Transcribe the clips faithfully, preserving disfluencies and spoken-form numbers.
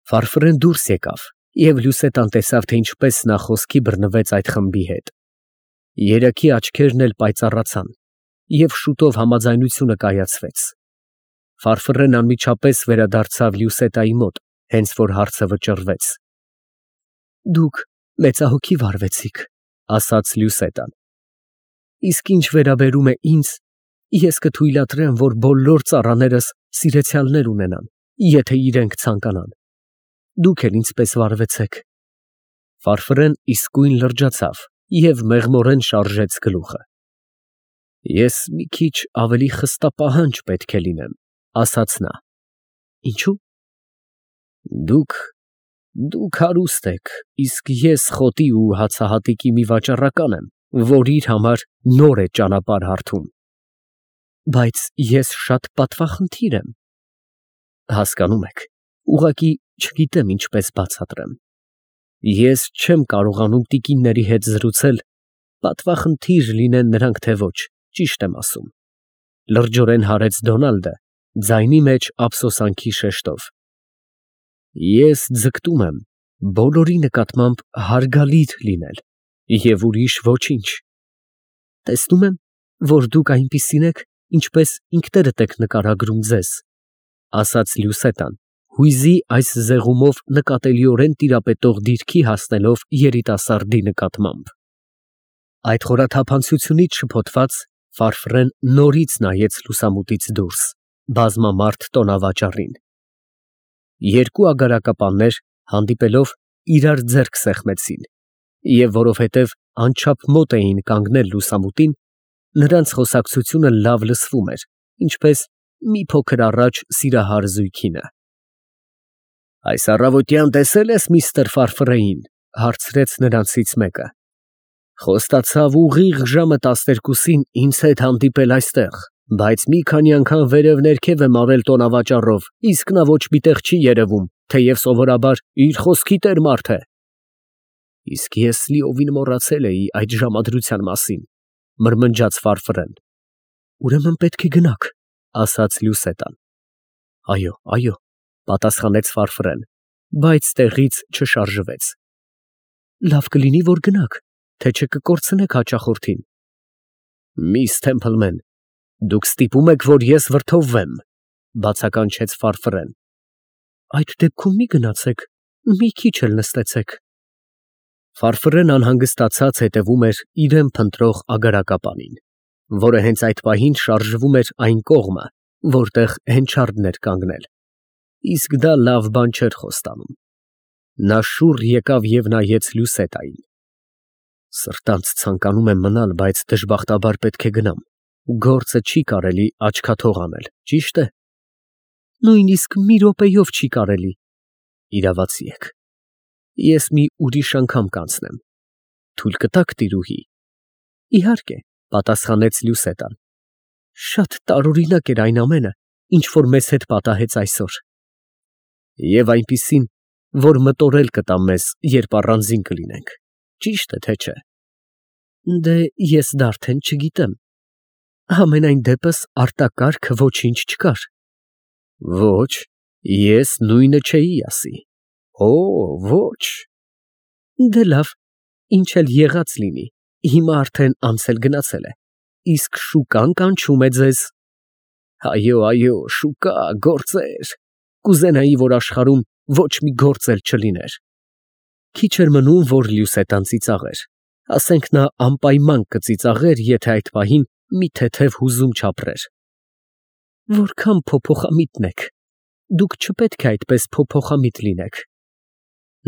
Ֆարֆրեն դուրս եկավ և Լյուսետան տեսավ, թե ինչպես նա խոսքի բռնվեց այդ խմբի հետ. երեքի աչքերն էլ պայծառացան, և շուտով համաձայնությունը կայացվեց։ Ֆարֆռեն անմիջապես վերադարձավ Լյուսետայի մոտ, հենց որ հարցը վճռվեց։ Դուք մեծահոգի վարվեցիք, ասաց Լյուսետան, իսկ ինչ վերաբերում է ինձ, ես կթույլատրեմ, որ բոլոր ծառաներս սիրեցյալներ ունենան, եթե իրենք ցանկանան։ Դուք էլ ինձպես վարվեցեք։ Ֆարֆռեն իսկույն լրջացավ և մեղմորեն շարժեց գլուխը։ Ես մի քիչ ավելի խստապահանջ պետք է լինեմ, ասաց նա։ Ինչո՞ւ։ Դուք, դուք հարուստ եք, իսկ ես խոտի ու հացահատիկի մի վաճառական եմ, որ իր համար նոր է ճանապարհ հարթում։ Բայց ես շատ պատվախնդիր եմ։ Հասկանում եք, ուղղակի չգիտեմ ինչպես բացատրեմ։ Ես չեմ կարողանում տիկինների հետ զրուցել, պատվախնդիր լինեն նրանք թե ոչ, ճիշտ եմ ասում, լրջորեն հարեց Դոնալդը, ձայնի մեջ ափսոսանքի շեշտով։ Ես ձգտում եմ բոլորի նկատմամբ հարգալից լինել և ուրիշ ոչինչ։ Տեսնում եմ, որ դուք այնպիսին եք, ինչպես ինքներդ եք նկարագրում ձեզ, ասաց Լյուսետան, հույզի այս զեղումով նկատելիորեն տիրապետող դիրքի հասնելով երիտասարդի նկատմամբ։ Այդ խորաթափանցությունից շփոթված, Ֆարֆռեն նորից նայեց լուսամուտից դուրս, բազմամարդ տոնավաճառին։ Երկու ագարակապաններ, հանդիպելով, իրար ձեռք սեղմեցին, և որովհետև անչափ մոտ էին կանգնել լուսամուտին, նրանց խոսակցությունը լավ լսվում էր, ինչպես մի փոքր առաջ սիրահար զույգինը։ Այս առավոտյան տեսե՞լ ես միստր Ֆարֆռեին, հարցրեց նրանցից մեկը։ Խոստացավ ուղիղ ժամը տասներկուսին ինձ հետ հանդիպել այստեղ, բայց մի քանի անգամ վերև֊ներքև եմ արել տոնավաճառով, իսկ նա ոչ մի տեղ չի երևում, թեև սովորաբար իր խոսքի տեր մարդ է։ Իսկ ես լիովին մոռացել էի այդ ժամադրության մասին, մրմնջաց Ֆարֆռեն։ Ուրեմն պետք է գնաք, ասաց Լյուսետան։ Այո, այո, պատասխանեց Ֆարֆռեն, բայց տեղից չշարժվեց։ Լավ կլինի, որ գնաք, թե չէ կկորցնեք հաճախորդին։ Միս Թեմփլմեն, դուք ստիպում եք, որ ես վրդովվեմ, բացականչեց Ֆարֆռեն։ Այդ դեպքում մի գնացեք, մի քիչ էլ նստեցեք։ Ֆարֆռեն անհանգստացած հետևում էր իրեն փնտրող ագարակապանին, որը հենց այդ պահին շարժվում էր այն կողմը, որտեղ հենչարդն էր կանգնել, իսկ դա լավ բան չէր խոստանում։ Նա շուռ եկավ և նայեց Լյուսետային։ Սրտանց ցանկանում եմ մնալ, բայց դժբախտաբար պետք է գնամ, գործը չի կարելի աչքաթող անել, ճիշտ է։ Նույնիսկ մի րոպեով չի կարելի։ Իրավացի եք։ Ես մի ուրիշ անգամ կանցնեմ։ Թույլ կտաք, տիրուհի։ Իհարկե, պատասխանեց Լյուսետան։ Շատ տարօրինակ էր այն ամենը, ինչ որ մեզ հետ պատահեց այսօր։ Եվ այնպիսին, որ մտորել կտա մեզ, երբ առանձին կլինենք, ճիշտ է, թե չէ։ Դե ես դա արդեն չգիտեմ։ Համենայն դեպս արտակարգ ոչինչ չկար։ Ոչ, ես նույնը չէի ասի։ Օ, ոչ։ Դե լավ, ինչ էլ եղած լինի, հիմա արդեն անցել գնացել է, իսկ շուկան կանչում է ձեզ։ Այո, այո, շուկա, գործեր, կուզենայի, որ աշխարհում ոչ մի գործ էլ չլիներ։ Քիչ էր մնում, որ Լյուսետան ծիծաղեր, ասենք նա անպայման կծիծաղեր, եթե այդ պահին մի թեթև հուզում չապրեր։ Որքան փոփոխամիտն եք, դուք չպետք է այդպես փոփոխամիտ լինեք։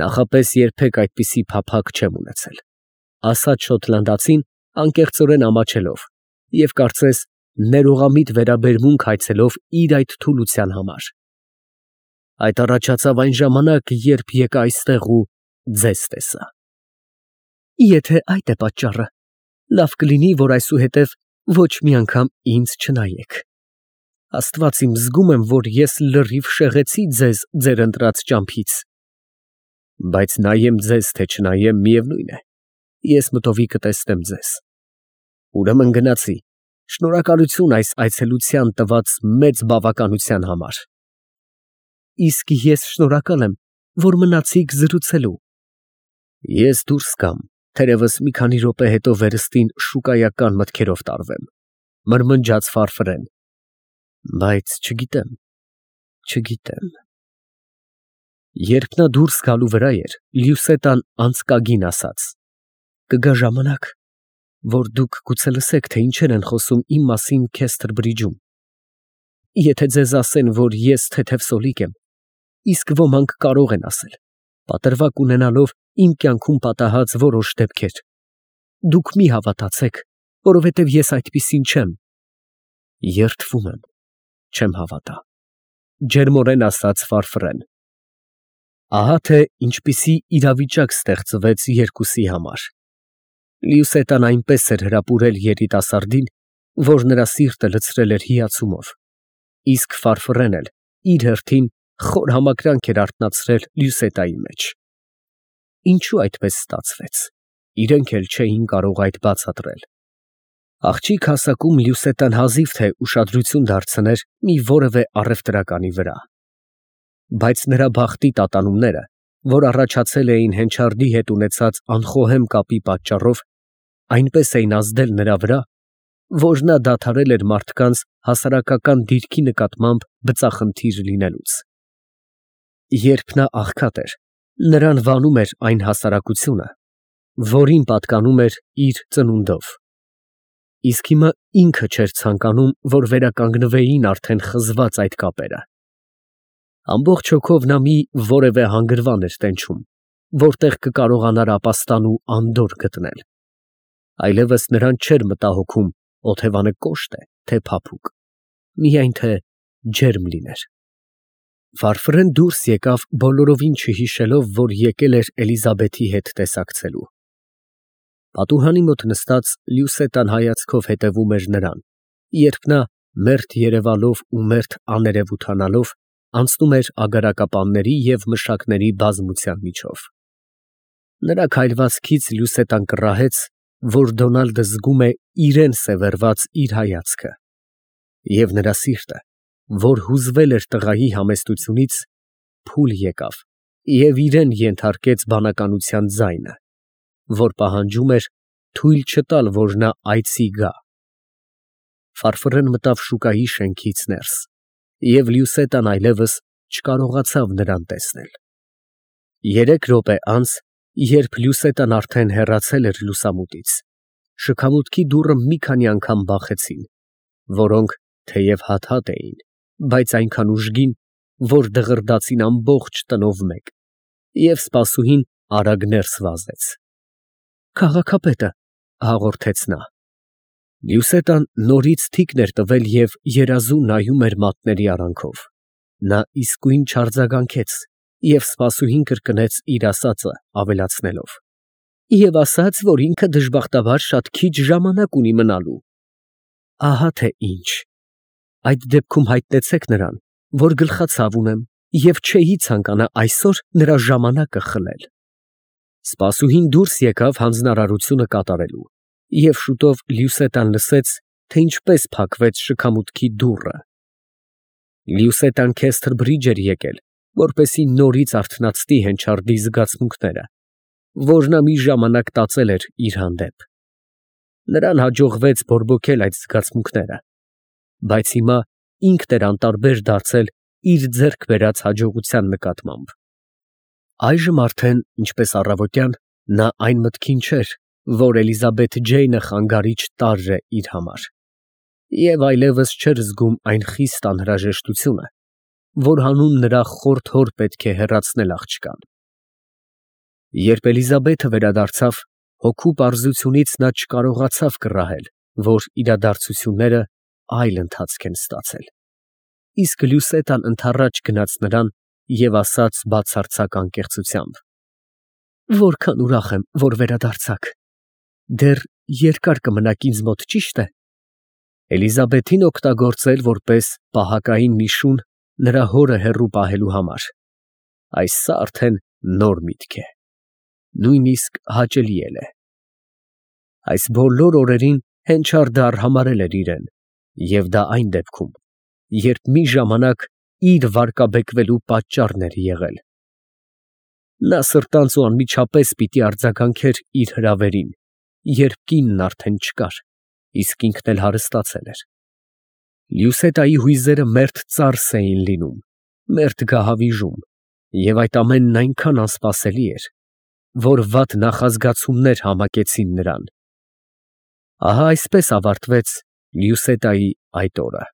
Նախապես երբեք այդպիսի փափագ չեմ ունեցել, ասաց շոտլանդացին, անկեղծորեն ամաչելով, և կարծես ներողամիտ վերաբերմունք հայցելով իր այդ թուլության համար։ Այդ առաջացավ այն ժամանակ, երբ եկա այստեղ ու ձեզ տեսա։ Եթե այդ է պատճառը, լավ կլինի, որ այսուհետև ոչ մի անգամ ինձ չնայեք։ Աստված իմ, զգում եմ, որ ես լրիվ շեղեցի ձեզ ձեր ընտրած ճամփից։ Բայց նայեմ ձեզ, թե չնայեմ, միևնույն է, ես մտովի կտեսնեմ ձեզ։ Ուրեմն գնացի, շնորհակալություն այս այցելության տված մեծ բավականության համար։ Իսկ ես շնորհակալ եմ, որ մնացիք զրուցելու։ Ես դուրս կամ, թերևս մի քանի րոպե հետո վերստին շուկայական մտքերով տարվեմ, մրմնջաց Ֆարֆրեն, բայց չգիտեմ, չգիտեմ։ Երբ նա դուրս գալու վրա էր, Լյուսետան անցկագին ասաց. «Կգա ժամանակ, որ դուք գուցե լսեք, թե ինչեր են խոսում իմ մասին Քեսթրբրիջում։ Եթե ձեզ ասեն, որ ես թեթև սոլիկ եմ, իսկ ոմանք կարող են ասել, պատրվակ ունենալով իմ կյանքում պատահած որոշ դեպքեր, դուք մի հավատացեք, որովհետև ես այդպիսին չեմ»։ Երդվում եմ, չեմ հավատա, ջերմորեն ասաց Ֆարֆրեն։ Ահա թե ինչպիսի իրավիճակ ստեղծվեց երկուսի համար։ Լյուսետան այնպես էր հրապուրել երիտասարդին, որ նրա սիրտը լցրել էր հիացումով, իսկ Ֆարֆրեն էլ իր հերթին խոր համակրանք էր արթնացրել Լյուսետայի մեջ։ Ինչու այդպես ստացվեց, իրենք էլ չէին կարող այդ բացատրել։ Աղջիկ հասակում Լյուսետան հազիվ թե ուշադրություն դարձներ մի որևէ առևտրականի վրա, բայց նրա բախտի տատանումները, որ առաջացել էին Հենչարդի հետ ունեցած անխոհեմ կապի պատճառով, այնպես էին ազդել նրա վրա, որ նա դադարել էր մարդկանց հասարակական դիրքի նկատմամբ բծախնդիր լինելուց։ Երբ նա աղքատ էր, նրան վանում էր այն հասարակությունը, որին պատկանում էր իր ծնունդով, իսկ հիմա ինքը չէր ցանկանում, որ վերականգնվեին արդեն խզված այդ կապերը։ Ամբողջ հոգով նա մի որևէ հանգրվան էր տենչում, որտեղ կկարողանար ապաստան ու անդորր գտնել։ Այլևս նրան չէր մտահոգում օթևանը կոշտ է, թե փափուկ, միայն թե ջերմ լիներ։ Ֆարֆրեն դուրս եկավ բոլորովին չհիշելով, որ եկել էր Էլիզաբեթի հետ տեսակցելու։ Պատուհանի մոտ նստած Լյուսետան հայացքով հետևում էր նրան, երբ նա մերթ երևալով ու մերթ աներևութանալով անցնում էր ագարակապանների և մշակների բազմության միջով։ Նրա քայլվածքից Լյուսետան կռահեց, որ Դոնալդը զգում է իրեն սևեռված իր հայացքը, և նրա սիրտը, որ հուզվել էր տղայի համեստությունից, փուլ եկավ և իրեն ենթարկեց բանականության ձայնը, որ պահանջում էր թույլ չտալ, որ նա այցի գա։ Ֆարֆրեն մտավ շուկայի շենքից ներս, և Լյուսետան այլևս չկարողացավ նրան տեսնել։ Երեք րոպե անց, երբ Լյուսետան արդեն հեռացել էր լուսամուտից, շքամուտքի դուռը մի քանի անգամ բախեցին, որոնք թեև հատ-հատ էին, բայց այնքան ուժգին, որ դղրդացին ամբողջ տնով մեկ, և սպասուհին արագ ներս վազեց։ «Քաղաքապետը», հաղորդեց նա։ Լյուսետան նորից թիկն էր տվել և երազում նայում էր մատների արանքով։ Նա իսկույն չարձագանքեց և սպասուհին կրկնեց իր ասածը, ավելացնելով. «Եվ ասաց, որ ինքը դժբախտաբար շատ քիչ ժամանակ ունի մնալու»։ Ահա թե ինչ։ Այդ դեպքում հայտնեցեք նրան, որ գլխացավ ունեմ և չէի ցանկանա այսօր նրա ժամանակը խլել։ Սպասուհին դուրս եկավ հանձնարարությունը կատարելու, և շուտով Լյուսետան լսեց, թե ինչպես փակվեց շքամուտքի դուռը։ Լյուսետան Քեսթրբրիջ էր եկել, որպեսզի նորից արթնացնի Հենչարդի զգացմունքները, որ նա մի ժամանակ տածել էր իր հանդեպ։ Նրան հաջողվեց բորբոքել այդ զգացմունքները, բայց հիմա ինքն էր անտարբեր դարձել իր ձեռք բերած հաջողության նկատմամբ։ Այժմ արդեն, ինչպես առավոտյան, նա այն մտքին չէր, որ Էլիզաբեթ Ջեյնը խանգարիչ տարր է իր համար, և այլևս չէր զգում այն խիստ անհրաժեշտությունը, որ հանուն նրա խորթ հոր պետք է հեռացնել աղջկան։ Երբ Էլիզաբեթը վերադարձավ, հոգու պարզությունից նա չկարողացավ կռահել, որ իրադարձությունները այլ ընթացք են ստացել, իսկ Լյուսետան ընդառաջ գնաց նրան և ասաց բացարձակ անկեղծությամբ. «Որքան ուրախ եմ, որ վերադարձաք։ Դեռ երկար կմնաք ինձ մոտ, ճի՞շտ է»։ Էլիզաբեթին օգտագործել որպես պահակային մի շուն նրա հորը հեռու պահելու համար, այս սա արդեն նոր միտք է, նույնիսկ հաճելի էլ է։ Այս բոլոր օրերին Հենչարդը արհամարհել էր իրեն, և դա այն դեպքում, երբ մի ժամանակ իր վարկաբեկվելու պատճառն էր եղել։ Նա սրտանց ու անմիջապես պիտի արձագանքեր իր հրավերին, երբ կինն արդեն չկար, իսկ ինքն էլ հարստացել էր։ Լյուսետայի հույզերը մերթ ծարս էին լինում, մերթ գահավիժում, և այդ ամենն այնքան անսպասելի էր, որ վատ նախազգացումներ համակեցին նրան։ Ահա այսպես ավարտվեց Լյուսետայի այդ օրը։